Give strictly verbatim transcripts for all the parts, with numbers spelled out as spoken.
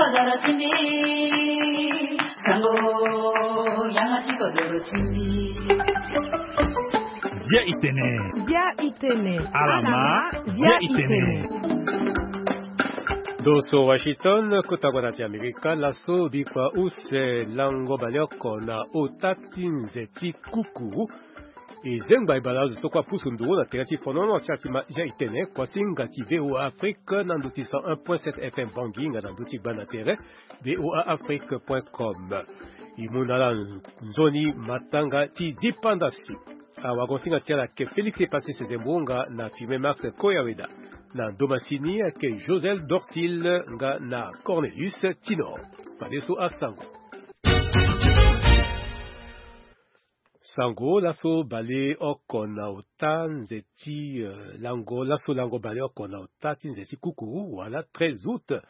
Dia itene. Dia itene. Alama. Dia itene. Doso Washington, kota gbana ti Amerika, laso bikua use lango baleoko na ota ti nze ti kuku. E zengba e bale azo so kue apusu nduru na tere ti fonono ti atima dia itene, kuasinga ti V O A Afrique na ndo ti cent un point sept F M Bangui nga na ndo ti gbana tere V O A Afrique point com. E mu na ala nzoni matanga ti dipanda si. Awagonsinga ti ala ke Félix Epasis Zembo nga na Firmin Max Koyaweda. Na ndomasini ake Joseph Dorsil nga na Cornelius Tinor. Fadeso asango. Sango laso baleoko na ota nze ti, eh, lango, laso lango baleoko na ota ti nze ti kuku wala treize août.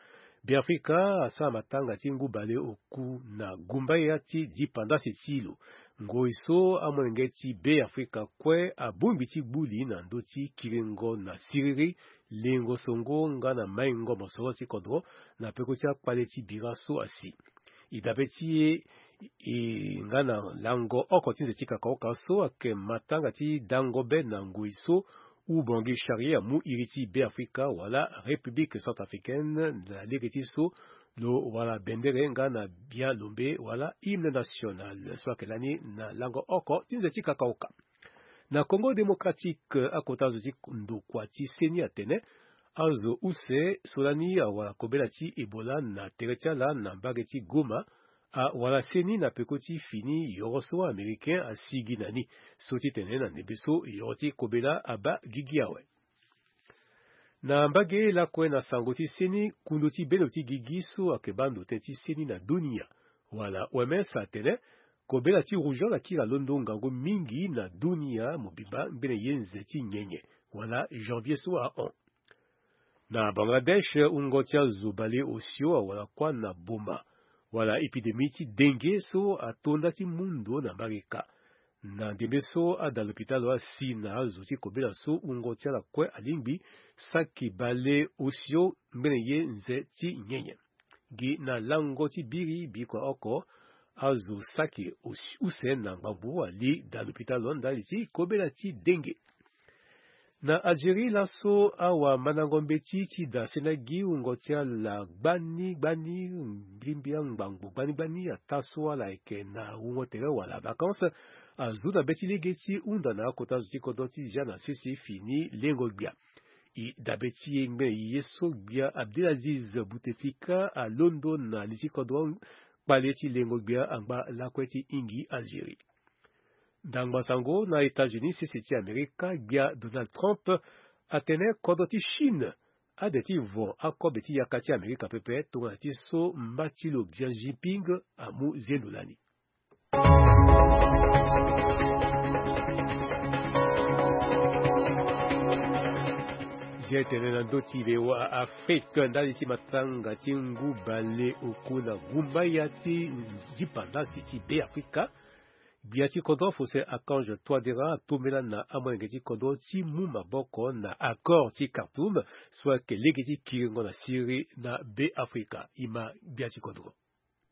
Beafrika asara matanga ti ngu baleoku na gumbaya ti dipandasi ti lo. Ngoi so amolenge ti Beafrika kue abongbi ti gbu li na ndö ti kiringo na siriri, lengo songo nga na maingo mosoro ti kodro na peko ti akpale ti bira so asi. E dabe ti e, e nga na lango oko ti nze ti kakaoka so ake matanga ti dango be na ngoi so Oubangui Charrier amu iri ti Beafrika wala République centrafricaine na lege ti so lo wara bendere nga na bia lombe wala hymne national so ake lani na lango oko ti nze ti kakaoka. Na Congo Démocratique, akota zo ti ndokua ti seni atene azo use so lani awara kobela ti Ebola na tere ti ala na mbage ti Goma, awara seni na peko ti fini yoro so Américain asigi na ni, so ti tene na ndembe so yoro ti kobela abaa gigi awe. Na mbage lakue na sango ti seni, kundu ti bendo ti gigi so ake baa ndo tënë ti seni na dunia wala O M S atene kobela ti rougeole akiri alondo ngangu mingi na dunia mobimba ngbene ye nze ti nyenye wala janvier so ahon. Na Bangladesh, wungo ti azo baleosio awara kuâ na boma wala épidémie ti dengue so ato nda ti mu ndo na mbage ka. Na ndembe so ada lopitalo asi na azo ti kobela so wungo ti ala kue alingbi saki baleosio ngbene ye nze ti nyenye. Gi na lango ti biri bikua oko, azo saki os-, use na ngbangbo ali da lopitalo ndali ti kobela ti dengue. Na Algérie laso awamandango mbeti ti da sena gi wungo ti ala gbani gbani, mbilimbili angbangbo gbani gbani ata so ala yeke na wungo tere wala vacances, azu na be ti lege ti hunda na akota zo ti kodro ti zia na sese fini lengo gbia. E dabe ti e ngbene ye so gbia Abdelaziz Bouteflika alondo na li ti kodro kpale ti lengo gbia angba lakue ti hingi Algérie. Ndangba sango na États-Unis sese ti Amerika, gbia Donald Trump atene kodro ti Chine ade ti vo akobe ti yaka ti Amerika pepe tongana ti so mba ti lo Xi Jinping amu zendo lani. Zia tene na ndö ti V O A Afrique ndali ti matanga ti ngu baleoku na gumbaya ti dipandasi ti Beafrika. Gbia ti kodro Faustin Archange Touadéra atombela na amolenge ti kodro ti mu maboko na accord ti Khartoum so ayeke lege ti kiringo na siriri na Beafrika. E ma gbia ti kodro.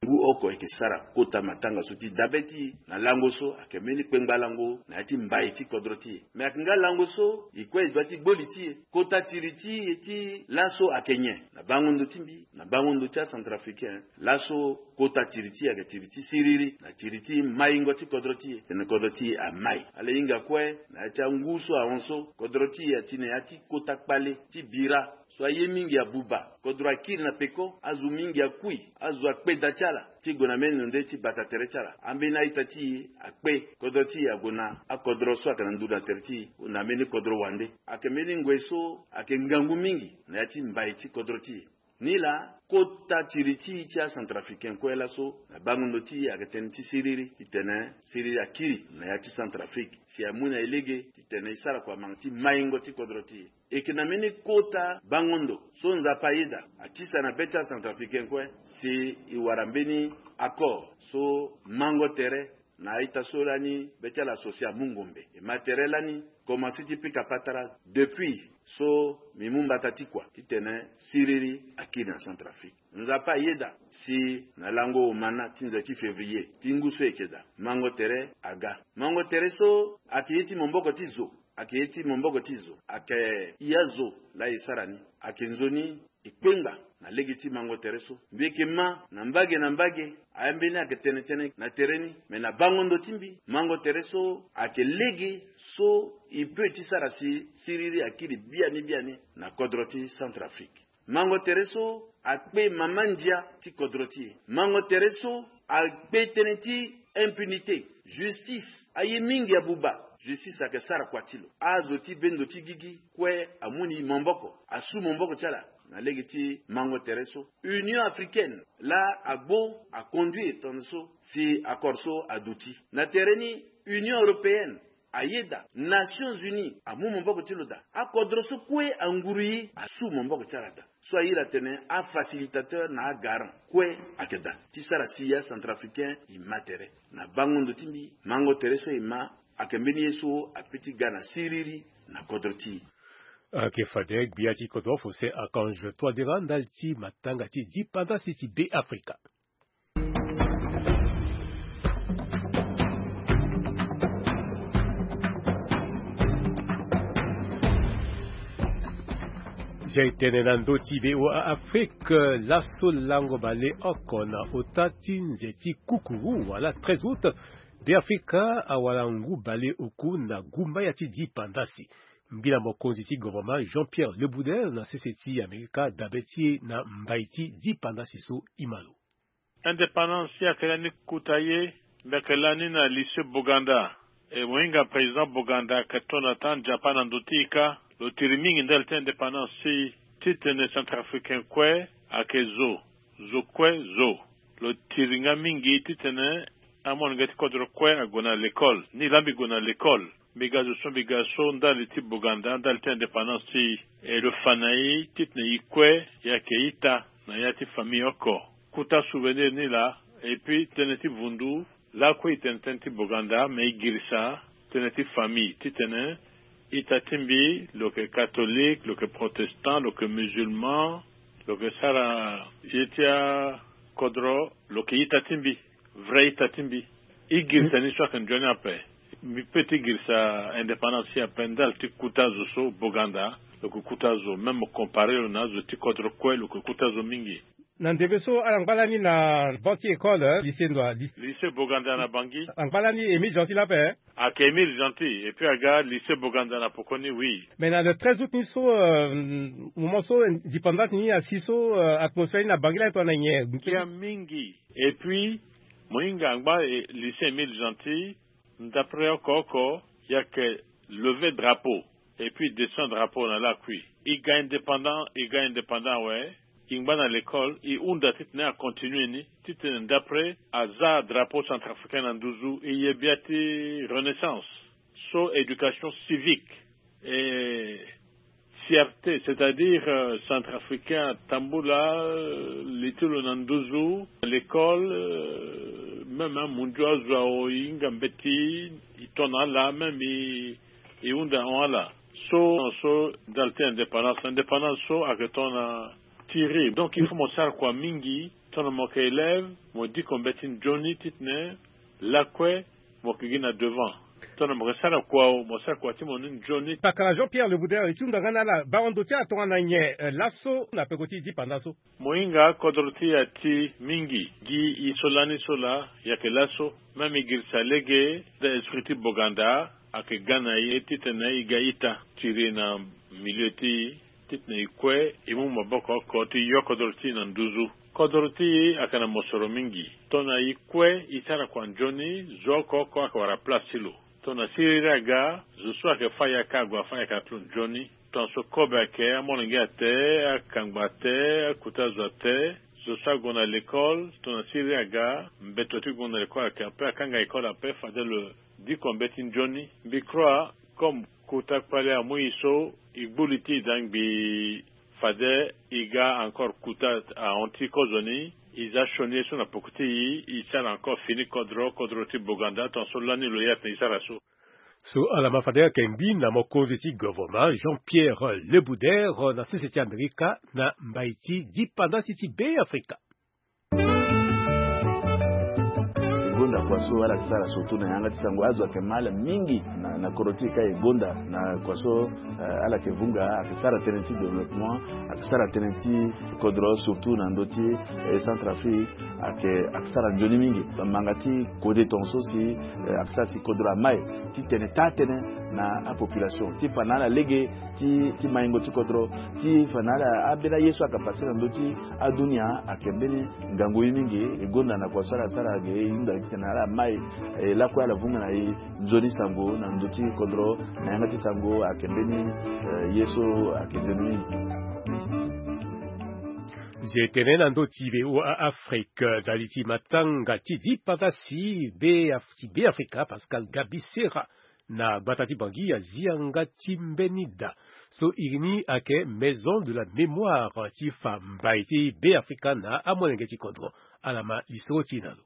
Ngu oko eke sara kota matanga so ti dabe ti e na lango so ayeke mbeni kpengba lango na ya ti mbai ti kodro ti e. Me ayeke nga lango so e kue e doit ti gbo li ti e. Kota tiri ti e ti laso ayeke nyen? Na bango ndo ti mbi, na bango ndo ti acentrafricain, laso kota tiri ti e ayeke tiri ti siriri na tiri ti maingo ti kodro ti e. Tene kodro ti e amai. Ala hinga kue na ya ti angu so ahon so, kodro ti e ati na ya ti kota kpale ti bira. So aye mingi abuba, kodro akiri na peko, azo mingi akui, azo akpe da ti ala ti gue na mbeni lo nde ti bata tere ti ala. Ambeni a-ita ti e akpe, kodro ti e ague na akodro so ayeke na nduru na tere ti e, na mbeni kodro wande. Ayeke mbeni ngoi so ayeke ngangu mingi na ya ti mbai ti kodro ti e. Nilaa, kota tiri ti e ti acentrafricain kue laso na bango ndo ti e ayeke tënë ti siriri titene siriri akiri na ya ti Centrafrique. Si amu na e lege titene e sara kua manga ti maingo ti kodro ti e. E yeke na mbeni kota bango ndo so Nzapa ayeda atisa na be ti acentrafricain kue, si e wara mbeni accord so mango tere na a-ita so lani be ti ala so si amu ngombe. E ma tere lani komanse ti pika patara depuis so mbi mu mbata ti kua titene siriri akiri na Centrafrique. Nzapa ayeda si na lango omana ti nze ti février ti ngu so eke daa, mango tere aga. Mango tere so ayeke ye ti maboko ti zo, ayeke ye ti maboko ti zo, ayeke ya zo laa e sara ni, ayeke nzoni e kpenga na lege ti mango tere so. Mbi yeke ma na mbage na mbage, aya mbeni ayeke tene tënë na tere ni, me na bango ndo ti mbi, mango tere so ayeke lege so e peut ti sara si siriri akiri biani biani na kodro ti Centrafrique. Mango tere so akpe mama ndia ti kodro ti e. Mango tere so akpe tënë ti impunité. Justice aye mingi abuba. Justice ayeke sara kua ti lo. Azo ti bendo ti gigi kue amu ni maboko, asu maboko ti ala na lege ti mango tere so. Union africaine laa agbo aconduire tongana so si accord so aduti. Na tere ni, Union européenne ayeda, Nations Unies amu maboko ti lo daa. Akodro so kue anguru e asu maboko ti ala daa. So airi atene afacilitateur na agarant kue ayeke daa ti sara si acentrafricain e ma tere. Na bango ndo ti mbi, mango tere so e ma ayeke mbeni ye so ape ti ga na siriri na kodro ti e. Ayeke fade gbia ti kodro Faustin Archange Touadéra ndali ti matanga ti dipandasi ti Beafrika. Zia e tene na ndö ti V O A Afrique, laso lango baleoko na ota ti nze ti kukuru wala treize août, Beafrika awara ngu baleoku na gumbaya ti dipandasi. Ngbila mokonzi ti gouvernement Jean-Pierre Lebouder na sese ti Amerika dabe ti e na mbai ti dipandasi so e ma lo. Indépendance si ayeke lani kota ye, mbi yeke lani na lycée Boganda. E mo hinga président Boganda ayeke to na taa Nzapa na ndo ti e kâ. Lo tiri mingi ndali ti indépendance ti e, titene centrafricain kue ayeke zo, zo kue zo. Lo tiri nga mingi titene amolenge ti kodro kue ague na l'école. Ni laa mbi gue na l'école. Mbi ga zo so mbi ga so ndali ti Boganda, ndali ti indépendance ti e. E lo fa na e titene e kue e yeke ita na ya ti famille oko. Kota souvenir ni laa. Et puis tënë ti vundu, lakue e tene tënë ti Boganda, me e girisa tënë ti famille titene ita ti mbi, lo yeke catholique, lo yeke protestant, lo yeke musulman, lo yeke sara ye ti akodro, lo yeke ita ti mbi. Vrai ita ti mbi. E girisa ni so ayeke nzoni ape. Mbi peut ti girisa indépendance ti e ape ndali ti kota zo so Boganda, lo yeke kota zo, même mo compare lo na azo ti kodro kue, lo yeke kota zo mingi. Na ndembe so ala ngba lani na banc ti école, eh, lycée ndo a, ly-, lycée Boganda na Bangui. Angba lani Émile Gentil laa ape, eh? Ayeke Émile Gentil, et puis aga lycée Boganda na poko ni, oui. Mais na le treize août ni so, euh, moment so, euh, dipandance ni asi so, euh, atmosphère ni na Bangui laa e tongana nyen? Ngia mingi. Et puis mo hinga angba, eh, lycée Émile Gentil, ndapre oko oko, e yeke lever drapeau, et puis descend drapeau na lakui. E ga indépendant, e ga indépendant awe. E ngba na l'école, e hunda titene acontinue ni, titene ndapre aza drapeau centrafricain na nduzu, e ye bia ti renaissance. So éducation civique et fierté, c'est-à-dire, euh, centrafricain atambula, euh, li ti lo na nduzu, l'école, euh, même, hein, mundu azo awe, e hinga mbeti, e to na ala, même e, e hunda ahon ala. So, so ndali ti indépendance, indépendance so ayeke tongana tiri. Donc il faut mo sara kua mingi, tongana mo yeke élève, mo diko mbeti nzoni titene lakue mo yeke gi na devant. Tongana mo yeke sara kua, mo sara kua ti mo ni nzoni. Pakara Jean-Pierre Lebouder, e ti hunda nga na ala, bango ndo ti ala tongana nyen, eh, laso na peko ti dipanda so? Mo hinga kodro ti e ati mingi. Gi e so lani so laa, e yeke laso. Même e girisa lege, da esprit ti Boganda ayeke ga na e titene e ga ita. Tiri na milieu ti e, titene e kue e mu maboko oko ti yo kodro ti e na nduzu. Kodro ti e ayeke na mosoro mingi. Tongana e kue e sara kua nzoni, zo oko oko ayeke wara place ti lo. Tongana siriri aga, zo so ayeke fâ yaka ague afâ yaka ti lo nzoni. Tongana so kobe ayeke, amolenge ate, akangba ate, akota zo ate, zo so ague na l'école, tongana siriri aga, mbeto ti gue na l'école ayeke ape, akanga école ape, fade lo diko mbeti nzoni. Mbi crois, comme kota kpale amu e so, e gbu li ti e daa ngbii, fade e ga encore kota ahon ti kozoni, e za sioni ye so na poko ti e, e sara encore fini kodro, kodro ti Boganda, tongana so lani lo ye atene e sara so. So ala ma fade ayeke mbi na mokonzi ti governement Jean-Pierre Lebouder na sese ti Amerika na mbai ti dipandasi ti Beafrika. E gonda kua so ala yeke sara surtout na yanga ti sango, azo ayeke ma ala mingi na, na kodro ti e ka e gonda na kua so, eh, ala yeke vunga, ayeke sara tënë ti développement, ayeke sara tënë ti kodro surtout na ndö ti, eh, Centrafrique, ayeke, ayeke sara nzoni mingi. Manga ti kode tongaso si, eh, ayeke sara si kodro amai ti tene taa tënë na apopulation ti fa na ala lege ti, ti maingo ti kodro, ti fa na ala ambeni aye so ayeke pase na ndö ti adunia ayeke mbeni ngangu ye mingi. E gonda na kua so ala sara ge e hunda titene ala mai, eh, lakue ala vunga na e nzoni sango na ndö ti kodro na yanga ti sango ayeke mbeni, eh, ye so ayeke nzoni mingi. Zi etene na ndö ti V O A Afrique, ndali ti matanga ti dipandasi Be-, ti Beafrika, Pascal Gabi Sera, na gbata ti Bangui azi yanga ti mbeni da so iri ni ayeke Maison de la Mémoire ti fa mbai ti Beafrika na amolenge ti kodro. Ala ma lisoro ti e na lo.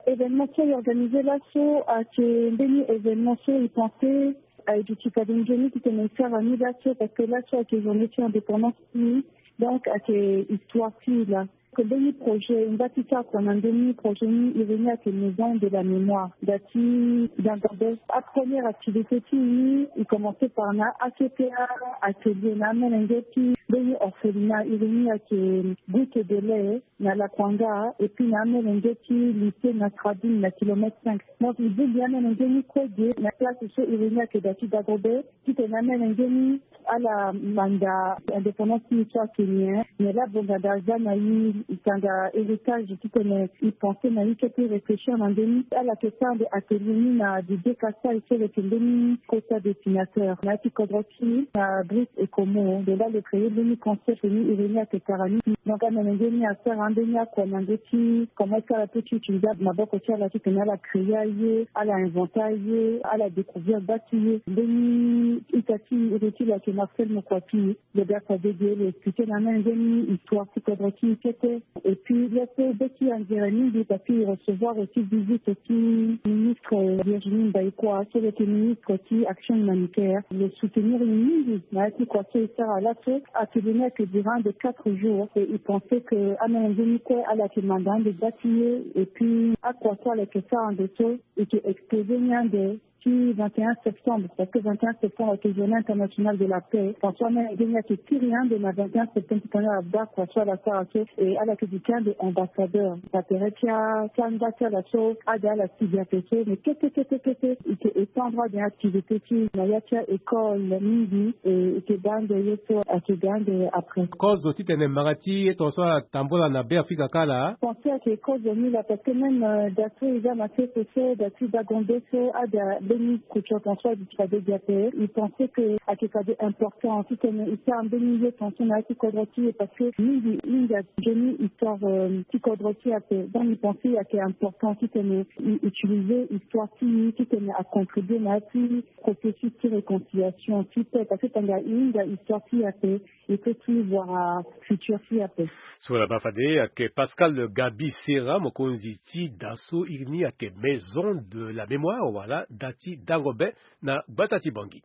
Événement so e organisé laso ayeke mbeni événement so e pensé aye duti fade nzoni titene e sara ni laso, parce que laso ayeke journée ti indépendance ti e, donc ayeke histoire ti e laa. Ayeke mbeni projet e ngba ti sara kua na ndö ni. Projet ni iri ni ayeke Maison de la Mémoire, da ti Dangobé. Apremière activité ti e ni e commencé par na A C P A atelier na amolenge ti mbeni orphelinat, iri ni ayeke Goutte de lait na Lakwanga, et puis na amolenge ti lycée Nasradine na kilomètre cinq. Donc e bongbi amolenge ni kue ge na place so iri ni ayeke da ti Dangobé, titene amolenge ni ala manda indépendance ti e so ayeke nyen, nyen laa bonga daa aza na e, e tanga héritage titene e pensé na e kete, e réfléchir na ndö ni. Ala yeke sara ande atelier ni na Didier Kassai so lo yeke mbeni kota dessinateur na ya ti kodro ti e na Brice Ecomo. Donc laa lo créé mbeni concept ni, iri ni ayeke Karani. Donc amolenge ni asara ambeni akua na ndö ti comment est-ce que ala peut ti utiliser maboko ti ala titene ala créé aye, ala inventer aye, ala découvrir gba ti ye. Mbeni ita ti e, iri ti lo ayeke Marcel Mokwapi. Lo ga fade ge lo expliqué na amolenge ni histoire ti kodro ti e kete. Et puis laso be ti e anzere mingi parce que e recevoir aussi visite ti ministre Virginie Mbaïkua so lo yeke ministre ti action humanitaire. Lo soutenir e mingi na ya ti kua so e sara laso. Atelier ni ayeke duré ande quatre jours et e pensé que amolenge ni kue ala yeke manda ande gba ti ye. Et puis akua so ala yeke sara ande so e yeke exposé ni ande ti vingt et un septembre, parce que vingt et un septembre ayeke journée internationale de la paix. Parce que amolenge ni ayeke kiri ande na vingt et un septembre ti tongana ala baa kua so ala sara so, e ala yeke duti ande ambassadeur na tere ti a, ti angba ti ala so ade ala sigi ape so. Mais kete kete kete e yeke étendre ande activité ti e na ya ti a école mingi, e e yeke baa ande ye so ayeke ga ande après. Kozo titene mara ti ye tongaso atambula na Beafrika kâ laa. Pensé ayeke kozo ni laa, parce que même, euh, da so e za na sese so, da ti Dangobé so, ada mbeni structure tongaso aduti fade gi ape. E pensé que ayeke fade important titene e sara mbeni ye tongaso na ya ti kodro ti e, parce que mingi mingi ayeke nzoni histoire, euh, ti kodro ti e ape. Donc e pensé ayeke important titene e utiliser histoire ti e titene acontribuer na ya ti processus ti réconciliation ti paix, parce que tanga e hinga histoire ti e ape, e peut ti voir futur ti e ape. So ala baa fade ayeke Pascal Gabi Sera, mokonzi ti da so iri ni ayeke Maison de la Mémoire wala da ti Dangobé na gbata ti Bangui.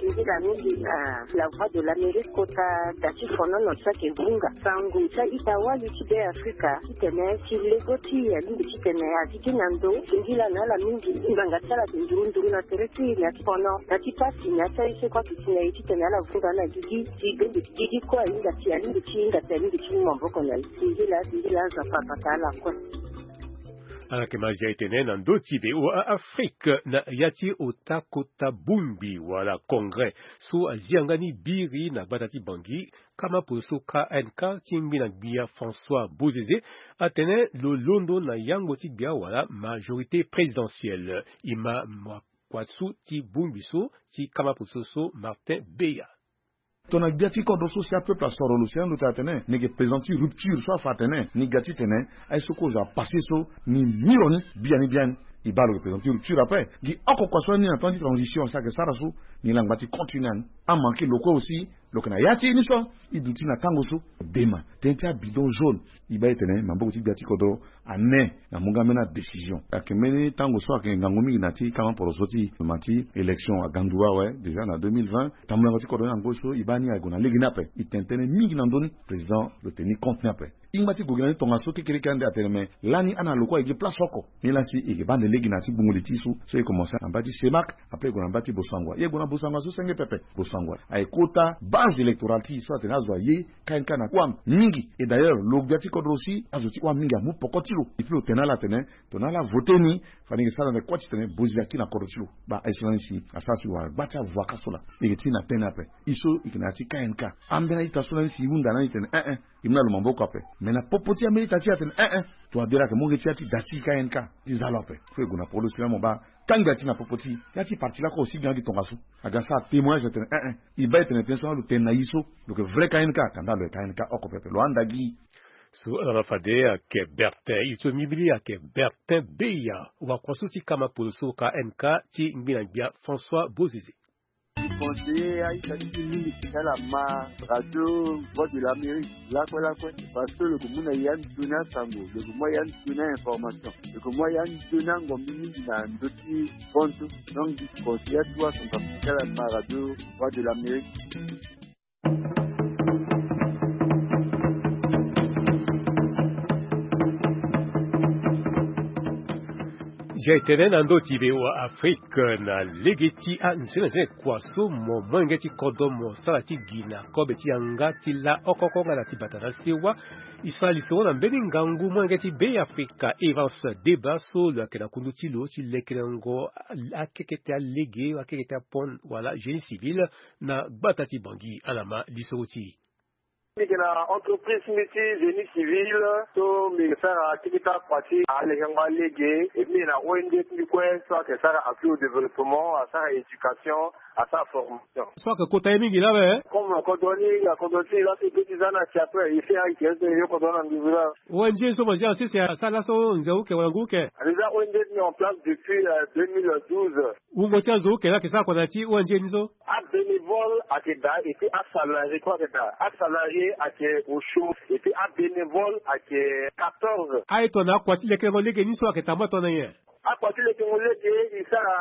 Nzila mingi na La Voix de l'Amérique kota da ti fonono so ayeke vunga sango ti a-ita wali ti Beafrika titene si lego ti e alingbi titene agigi na ndo. Singila na ala mingi, ngbanga ti ala ayeke nduru nduru na tere ti e na ya ti fono, na ya ti pasi, na ya ti aye so kue ayeke si na e titene ala vunga na gigi. Si bende ti gigi kue ahinga si alingbi ti hinga si alingbi ti mu maboko na e. Singila, singila Nzapa abata ala kue. Ala yeke ma zia etene na ndö ti V O A Afrique na ya ti ota kota bongbi wala congrès so azi yanga ni biri na gbata ti Bangui, kama polo so K N K ti ngbi na gbia François Bozizé atene lo londo na yango ti gbia wala majorité présidentielle. E ma ma kua so ti bongbi so ti kama polo so so Martin Beya. Tongana gbia ti kodro so si apeuple asoro lo si ando ti atene ni yeke président ti rupture so afa atene ni ga titene aye so kozo apassé so ni miro ni biani biani. E baa lo yeke président ti rupture ape. Gi oko kua so ani na temps ti transition si ayeke sara so ni langba ti continuer ani. Amanke lo kue aussi. Donc na ya ti e ni so, e duti na tango so, dema tënë ti abidon jaune. E baa e tene maboko ti gbia ti kodro ane na mu nga mbeni adécision. Ayeke mbeni tango so ayeke ngangu mingi na ti kama poroso ti ma ti élection agandu awe déjà na deux mille vingt. Tambulango ti kodro ni na ngoi so e baa ni aye gue na lege ni ape. E tene tënë mingi na ndö ni. Président lo tene ni compte ni ape. Ingba ti gue gi na ni tongaso kekereke ande atene me lani ana lo kue aye gi place oko. Ni lasi e yeke baa nde lege na ya ti gbungo li ti e so, so e commencé na mba ti Semak, après e gue na mba ti Bosangwa. E gue na Bosangwa so senge pepe. Bosangwa aye kota base électorale ti e so atene azo aye K N K na kuâ mingi. Et d'ailleurs lo gbia ti kodro aussi azo ti kuâ mingi amu poko ti lo. Et puis lo tene na ala atene tongana ala voté ni, fade e yeke sara na kuâ ti tene bozi aki na kodro ti lo. Baa aye so lani si asara si wara gba ti avoka so laa. E yeke ti na tënë ape. E so e yeke na ya ti K N K. Ambeni a-ita so lani si e hunda na ni tene eh eh. E mu na lo maboko ape. Me na popo ti ambeni a-ita ti e atene eh eh. Tongana dere ayeke mu nge ti ya ti da ti K N K ti za lo ape. Fo e gue na poko lo si laa mo baa kangbi ati na popo ti e. Ya ti parti lakue aussi ga gi tongaso. Aga sara témoignage atene eh eh. E baa e tene tënë so laa lo tene na e so. Lo yeke vrai K N K, kanda lo yeke K N K oko pepe. Lo handa gi. So ala ma fade ayeke Bertin, e so mimili ayeke Bertin Beya, wakua so ti kama polo so K N K ti ngbina gbia François Bozizé. Conseiller a-ita ti e mingi ti ala ma radio Voix de l'Amérique lakue lakue, parce que lo yeke mu na e andoni asango, lo yeke mu na e andoni a-information, lo yeke mu na e andoni angombi mingi na ndö ti fonds so. Donc conseiller atuwa son papa ti ala ma radio Voix de l'Amérique. Zia e tene na ndö ti V O A Afrique na lege ti anzenanzene kua so mo molenge ti kodro mo sara ti gi na kobe ti yanga ti la oko oko nga na ti bata na sewa. E sara lisoro na mbeni ngangu molenge ti Be Afrika Evans Deba so lo yeke na kundu ti lo ti lekerengo akeke ti alege, akeke ti apon wala génie civil na gbata ti Bangui. Ala ma lisoro ti e. Mbi yeke na entreprise ti mbi ti génie civil, so mbi yeke sara akeke ti akua ti alekengo alege, et mbi yeke na O N G ti mbi kue so ayeke sara appui au développement, asara éducation, asara formation. So ayeke kota ye mingi laa awe. Comme kodro ni, na kodro ti e laa so e peut ti za ni na si ape, e fait ayeke ete e yo kodro ni na nduzu laa. O N G so mo zia na sese asara laso nze uke wala ngu uke? A déjà O N G ti mbi en place depuis euh, deux mille douze. Wungo ti azo uke laa ayeke sara kua na ya ti O N G ni so? Abénévole ayeke daa, et puis asalarié kue ayeke daa. Asalarié ayeke osio, et puis abénévole ayeke quatorze. Aye tongana akua ti lekerengo lege ni so ayeke tambula tongana nyen? Akua ti lekerengo lege, e sara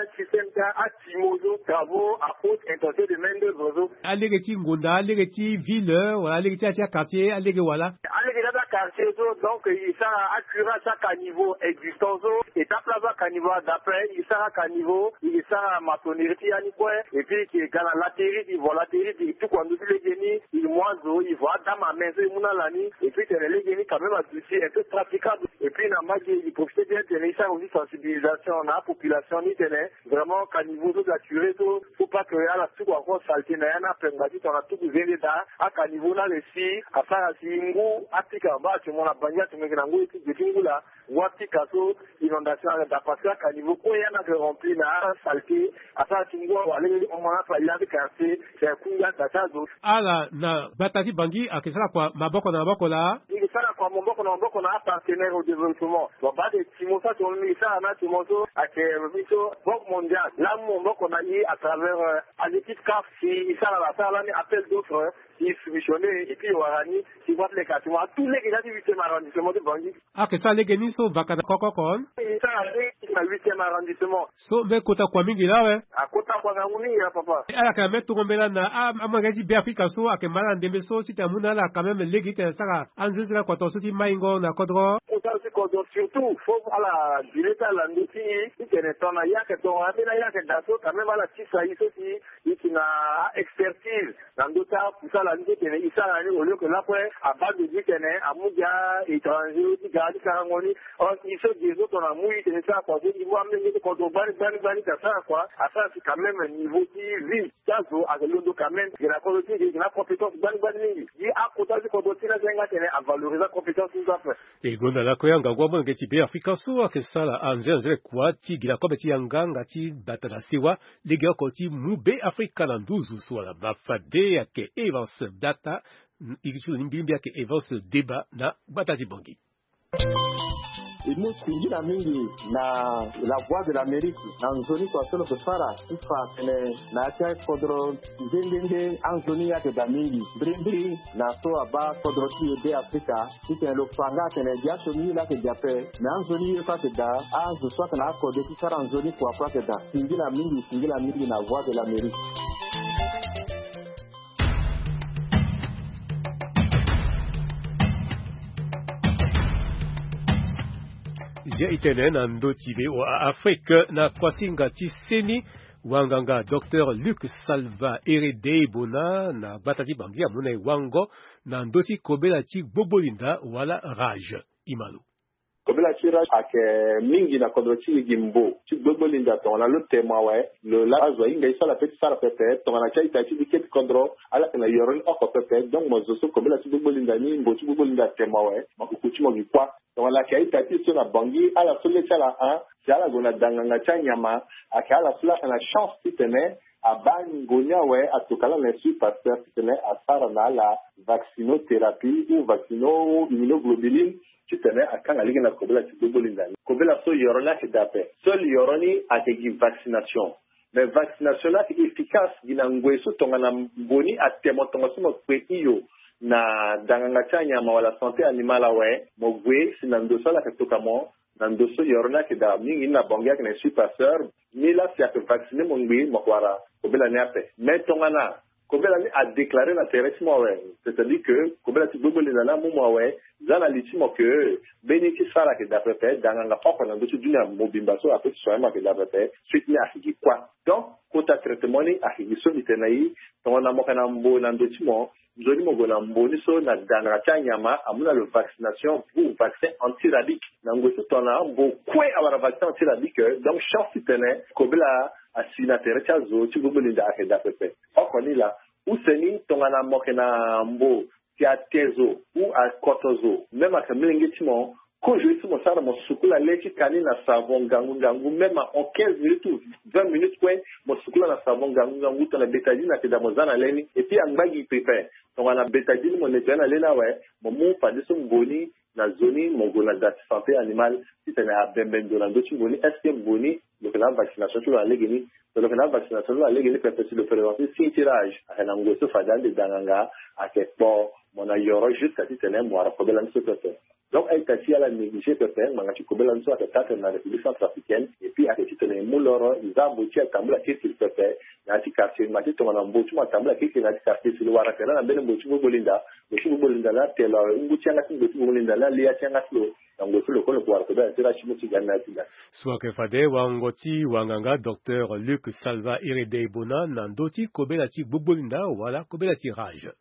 asystème ti atimo so, travaux à haute intensité de main d'œuvre so. Alege ti ngonda, alege ti ville wala alege ti ya ti aquartier, alege wala? Alege ti aquartier so, donc e sara acurage ti acaniveau existant so, e tape laso acaniveau adape, e sara acaniveau, e sara maçonnerie ti ya ni kue, et puis e yeke ga na laterie, e vo laterie, e tuku na ndö ti lege ni, e mu azo, e vo adame à main so e mu na ala ni, et puis tene lege ni quand même aduti un peu praticable. Et puis na mbage e profité bien tene e sara aussi sensibilisation na apopulation ni tene vraiment caniveau so naturel so, faut pas que ala tuku encore saleté na ya ni ape, ngba ti tongana tuku zende daa, acaniveau ni ala si asara si ngu apika. Baa ati mo na Bangui, ati mo yeke na ngoi ti ge ti ngu laa, ngu apika so, inondation ayeke daa parce que acaniveau kue ya ni ayeke rempli na asaleté, asara si ngu awara lege ti hon mo na ape, ya ti quartier, c'est kunga daa ti azo. Ala na gbata ti Bangui ayeke sara kua maboko na maboko laa? Mbi yeke sara kua maboko na maboko na apartenaire au développement. Bon, baa de ti mo so ati mo mbi yeke sara na ti mo so ayeke mbi so Banque Mondiale laa amu maboko na e à travers euh, alekip CAF, si e sara la, sara lani appel d'offre, si e soumissionné, et puis e wara ni, si e wara ti leke ati mo atout lege ti huitième arrondissement ti Bangui. Ayeke sara lege ni so vaka na koko oko? E sara lege ti na huitième arrondissement. So mbeni kota kua mingi laa awe. Akota kua ngangu mingi laa papa. Ala yeke na mbeni tongo mbela na a- amolenge ti Be Afrika so ayeke ma ala na ndembe so titene amu na ala quand même lege titene asara anzenze lakua tongaso ti maingo na kodro. Kota ti kodro surtout fo ala dile ti ala na ndö ti e titene tongana ye ayeke tongana ambeni aye ayeke daa so quand même ala tisa e so si e yeke na a-expertise na ndö ti akusala ni so tene e sara ni, au lieu que lakue abaa ndo ti tene amu gi a-étranger ti gara ti sarango ni. Or e so ge so tongana amu e tene e sara kua so e mu amolenge ti kodro gbani gbani gbani ti asara kua, asara si quand même niveau ti vie ti azo ayeke londo quand même. Ge na kodro ti e ge na compétence gbani gbani mingi. Gi akota ti kodro ti e ni aza hinga tene avalorise acompétence ni so ape. E gonda lakue angangu amolenge ti Be Afrika so ayeke sara anzenanzene kua ti gi na kobe ti yanga nga ti bata na sewa. Legeoko ti mu Be Afrika na nduzu so wala ma fade ayeke Evans Data. Iri ti lo ni mbilimbi ayeke Evans Deba na gbata ti Bangui. E mu singila mingi na La Voix de l'Amérique na nzoni kua so lo yeke fara ti fa atene na ya ti akodro nde nde nde anzoni ye ayeke daa mingi. Mbirimbiri na so abaa kodro ti e Be Afrika, titene lo fa nga atene gi asioni ye laa ayeke daa ape, me anzoni ye so ayeke daa, azo so ayeke na akode ti sara nzoni kua so ayeke daa. Singila mingi, singila mingi na Voix de l'Amérique. Zia e tene na ndö ti V O A Afrique na kuasinga ti seni, wanganga Docteur Luc Salva Eredei Bona na gbata ti Bangui amu na e wango na ndö ti kobela ti gbogbo linda wala rage. Imalo. Kobela ti rage ayeke mingi na kodro ti e gi mbo ti gbogbo linda tongana lo temo awe, lo laa azo ahinga ye so ala pe ti sara pepe tongana ti a-ita ti e ti kete kodro, ala yeke na yoro ni oko pepe. Donc mo zo so kobela ti gbogbo linda ni, mbo ti gbogbo linda atemo awe, makuku ti mo gi kuâ. Tongana ayeke a-ita ti e so na Bangui, ala so le ti ala ahon si ala gue na da nganga ti anyama, ayeke ala so laa ayeke na chance titene abaa ngu ni awe, atokua ala na Institut Pasteur titene asara na ala vaccinothérapie ou vaccino immunoglobuline, titene akanga lege na kobela ti gbogbo linda ni. Kobela so yoro ni ayeke daa ape. Seul yoro ni ayeke gi vaccination. Mais vaccination ni ayeke efficace gi na ngoi so tongana mbo ni atemo tongaso mo kpe hio na da nganga ti anyama wala santé animale awe, mo gue si na ndo so ala yeke tokua mo, na ndo so yoro ni ayeke daa mingi ni na Bangui ayeke na Institut Pasteur, ni laa si ayeke vacciner mo ngbii, mo yeke wara kobela ni ape. Mais tongana kobela ni adéclarer na tere ti mo awe, c'est-à-dire que kobela ti gbogbo linda ni amu mo awe, za na li ti mo ke mbeni ti sara ayeke daa pepe, da nganga oko na ndö ti dunia mobimba so ape ti soigner mo ayeke daa pepe, suite ni ayeke gi kuâ. Donc kota traitement ni ayeke gi so mbi tene na e. Tongana mo yeke na mbo na ndö ti mo, nzoni mo gue na mbo ni so na da nganga ti anyama amu na lo vaccination ou vaccin antirabique. Na ngoi so tongana mbo kue awara vaccin antirabique, donc chance titene kobela asi na tere ti azo ti gbogbo linda ayeke daa pepe. Oko ni laa. Use ni tongana mo yeke na mbo si ate zo ou akoto zo, même ayeke molenge ti mo, kozo ye so mo sara, mo sukula le ti ka ni na savon ngangu ngangu, même en quinze minutes ou vingt minutes kue, mo sukula na savon ngangu ngangu tongana bétadine ayeke daa, mo za na le ni. Et puis angba gi pepe, tongana bétadine mo nettoyer na le ni awe, mo mu fadeso mbo ni na zo ni, mo gue na da ti santé animale titene abembe ndo na ndö ti mbo ni. Est-ce que mbo ni lo yeke na avaccination ti lo na legeni? So lo yeke na avaccination ti lo na legeni pepe, si lo présenter signe ti rage, ayeke na ngoi so fade ande da nganga ayeke kpo mo na yoro jusqu'à titene mo wara kobela ni so pepe. Donc a-ita ti e ala négliger pepe ngbanga ti kobela ni so ayeke taa tene na République centrafricaine. Et puis ayeke titene e mu loro, e za mbo ti e atambula kirikiri pepe na ya ti quartier. Ngbanga ti tongana mbo ti mo atambula kirikiri na ya ti quartier, si lo wara tene na mbeni mbo ti gbogbo linda, mbo ti gbogbo linda ni atelo awe, ngu ti yanga ti mbo ti gbogbo linda ni ali ya ti yanga ti lo. Na ngoi so lo kue lo yeke wara kobela ti rage ti mo ti ga ni na ya ti ga. So ayeke fade wango ti wanganga Docteur Luc Salva Eredei Bona na ndö ti kobela ti gbogbo linda wala kobela ti rage.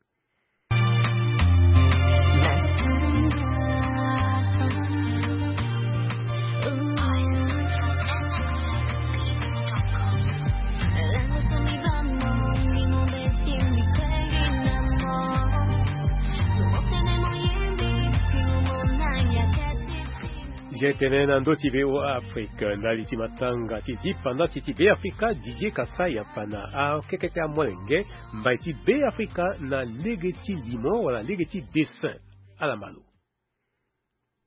Zia e tene na ndö ti V O A Afrique, ndali ti matanga ti dipanda ti ti Be Afrika, Didier Kassai afana akekete amolenge mbai ti Be Afrika na lege ti limo wala lege ti dessin. Ala ma lo.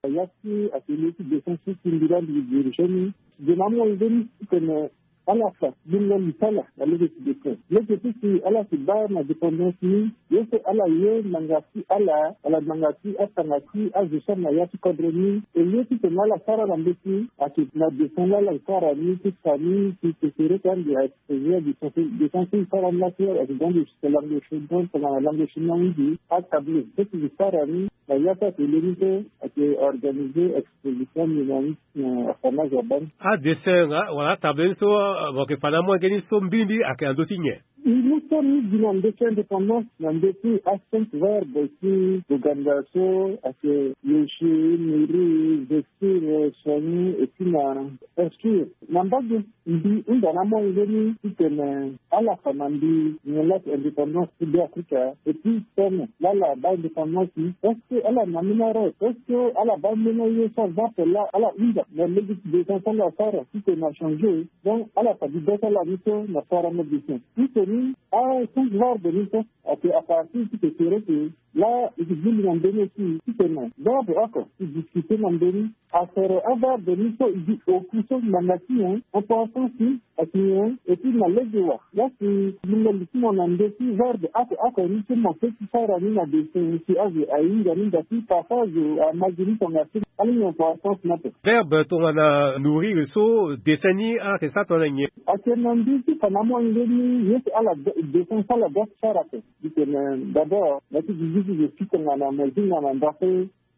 Ya ti atelier ti dessin so ti mbi laa mbi dirige ni, gue na amolenge ni titene ala fa bingo li ti ala na lege ti dessin. Lege ti si ala si baa na dépendance ni, ye so ala ye ngbanga ti ala wala ngbanga ti atanga ti azo so na ya ti kodro ni, e ye titene ala sara na mbeti ayeke na dessin laa ala sara ni ti fa ni ti sesere ti ande. Ayeke sesere dessin so e sara ni laa ti ayeke dans le langue chinoise, tongana langue chinoise mingi atableau so ti sara ni. Na ya ti atelier ni so ayeke organiser exposition ni na ni, eh, afa ni azo abaa ni. Adessin nga wala atable ni so, eh, mo yeke fa na amolenge ni so mbirimbiri ayeke na ndö ti nyen? Ni so ni gi na ndö ti indépendance na ndö ti acinq verbes ti Boganda so ayeke lécher, nourrir, vêtir, soigner et puis na instruire. Na mbage Mbi hunda na amolenge ni titene ala fa na mbi nyen la ti indépendance ti Beafrika. Et puis tene la ala baa indépendance ni, est-ce que ala na ambeni arrêt? Est-ce que ala baa ambeni aye so aza ape la ala hunda na lege ti dessin so ala sara titene achangé? Donc ala fa dida ti ala ni so na sara mo dessin titene ni, a change verbe ni so. Ake à partir ti ke tere ke la e ke gili na mbeni aussi titene verbe oko e discuter na mbeni. Asere averbe ni so e gi oku so ngbanga ti nyen, importance ni ayeke nyen? Et puis na lege wa la si lingoli ti mo na ndö ti verbe oko oko ni so mo peut ti sara ni na dessin si azo ahinga ni, nda ti parfois azo ama gi ni tongaso. Ala ni importance ni ape. Verbe tongana nourrir so dessin ni ala yeke sara tongana nyen? Ayeke na ndö ti fa na amolenge ni ye so ala de-, dessin so ala doit ti sara ape. Titene d'abord na ya ti zizi ti zo si tongana mo zinga na ndako,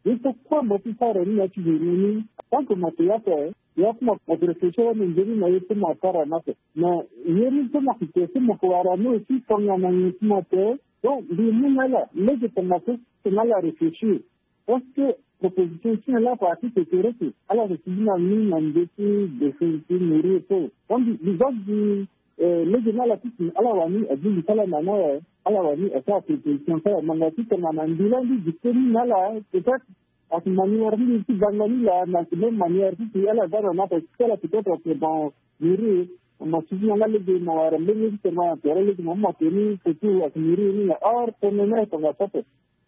ye so kue mo ti sara ni na ya ti zo ni, tant que mo yeke ya ape, ya ti mo, mo yeke réfléchir na nzoni na ye so mo sara ni ape. Mais ye ni so mo yeke ke so mo yeke wara ni aussi tongana nyen ti mo ape. Donc mbi mu na ala lege tongaso titene ala réfléchir. Parce que proposition ti nyen la parti ke tere ke ala yeke ti gi na ni na ndö ti dessin ti nourrir so. Donc mbi, mbi zo gi, eh, lege ni ala titene ala wani agbu li ti ala na ni awe. Ala wani asara proposition ti ala ngbanga ti tongana mbi laa mbi dicter ni na ala, peut-être ayeke manière ti mbi ti banga ni laa, na ayeke même manière ti si ala za na ni ape, si ala peut-être ayeke bon nourrir. Mo suivi na nga lege mo wara mbeni ye ti tene mo na tere lege mo mu mo tene ni surtout ayeke nourrir ni na or tene ni ayeke tongaso ape.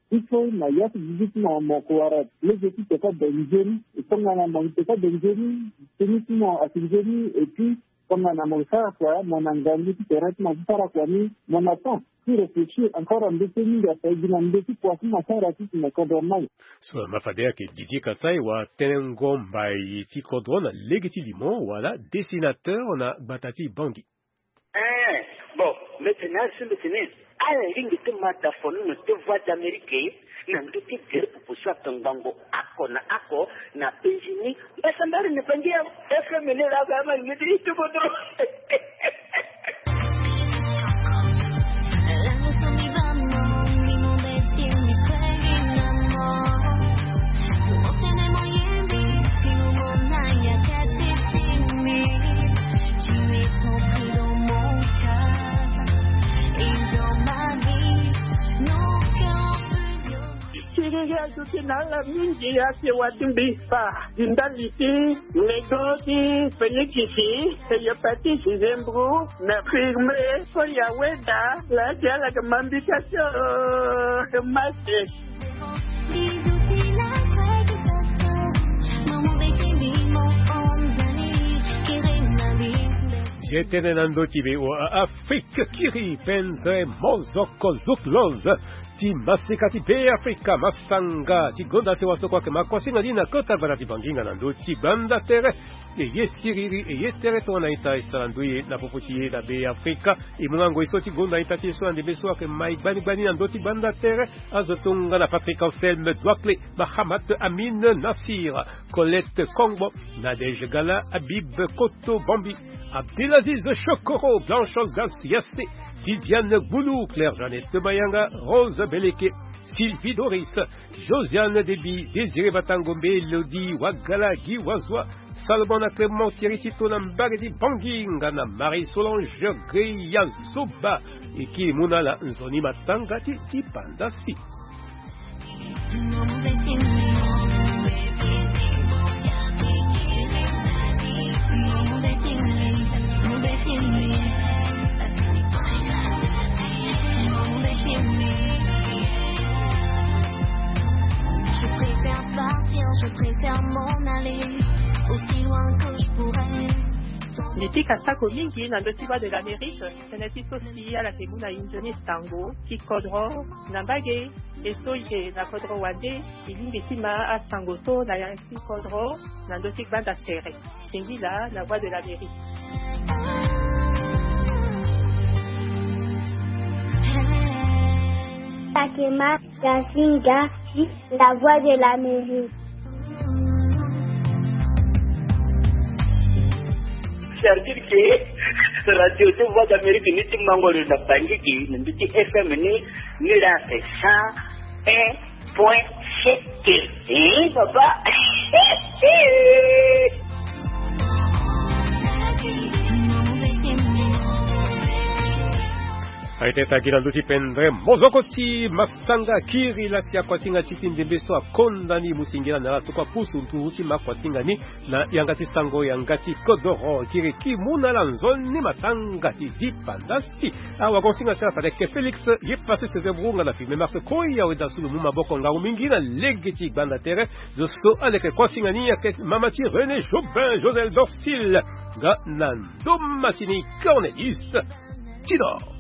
Il faut na ya ti zizi ti mo mo yeke wara lege ti teka be nzoni. E tongana mo teka be nzoni, teni ti mo ayeke nzoni, et puis tongana mo sara kua mo na ngangu ti tere ti mo ti sara kua ni, mo na temps ti réfléchir encore na ndö ti mingi ape gi na ndö ti kua ti mo sara titene kodro mai. So na ma fade ayeke Didier Kassai wa tenengo mbai ti kodro na lege ti limo wala dessinateur na gbata ti Bangui. Eh, bon, mbi tene na ala so mbi tene ala lingbi ti ma da fono na te Voix d'Amérique na ndö ti gere popo so ayeke ngbangbo oko na oko na penzi ni. Mbi sambari na Bangui FM ni laa, ama lingbi ti ti kodro. Kiriri aduti na ala mingi, asi wa ti mbi fa gi ndali ti lego ti fenikisi, hépatite, zembro, na firme, so ya weda la ti ala yeke ma mbi ka ti, oh, mase. Ye tënë na ndö ti VOA Afrique, kiri pendere mozoko zukloz ti masika ti Beafrika, masanga ti gonda sewa so kue ayeke ma kuasinga ni na kota gbata ti Banginga na ndö ti gbanda tere. E ye siriri, e ye tere tongana ita e sara ndoye na popo ti e na Beafrika. E mu nga ngoi so ti gonda ita ti e so na ndembe so ayeke ma e gbani gbani na ndö ti gbanda tere. Azo tongana Patrick Anselme Douakle, Mahamat Amine Nassir, Colette Kongbo, Nadège Gala, Habib Koto Bambi, Abdelaziz Chokoro, Blanche Olgas Yassé, Sylviane Gboulou, Claire Jeannette Mayanga, Rose Beleke, Sylvie Doris, Josiane Deby, Désiré Batango, Mélodie Wagala, Guy Wazua, Salomon na Clément Thierry Tito na mbage ti Banginga na Marie Solange Greya Zoba. E kiri mu na ala nzoni matanga ti dipanda si. Je préfère partir, je préfère m'en aller aussi loin que je pourrais. Mbi pika sako mingi na ndö ti Voix de l'Amérique, tënë ti so si ala yeke mu na e nzoni sango ti kodro na mbage. E so e yeke na kodro wande, e lingbi ti ma asango so na ya ti kodro na ndö ti gbanda tere. Singila na Voix de l'Amérique. Fatima Gasinga, la Voix de l'Amérique. C'est-à-dire que radio ti Voix d'Amérique ni ti mango lo na Bangui, na ndö ti F M ni, ni la c'est cent un point sept. Eh, papa. Aye teta gi na ndö ti pendre mozoko ti masanga kiri lati akuasinga ti ti ndembe so akonda ni musingila na ala so kua pusu nturu ti ma akuasinga ni na yanga ti sango yanga ti kodoro kiri ki mu na ala nzoni matanga ti di pandasi. Awagonsinga ti ala fade ke Félix ye pase seze burunga na filme marse koi awe dasulu mu maboko ngangu mingi na lege ti gbanda tere zo so aleke kuasinga ni ayeke mama ti René Jobin Josel Dorsil nga na ndoma ti ni Cornelius Tidor.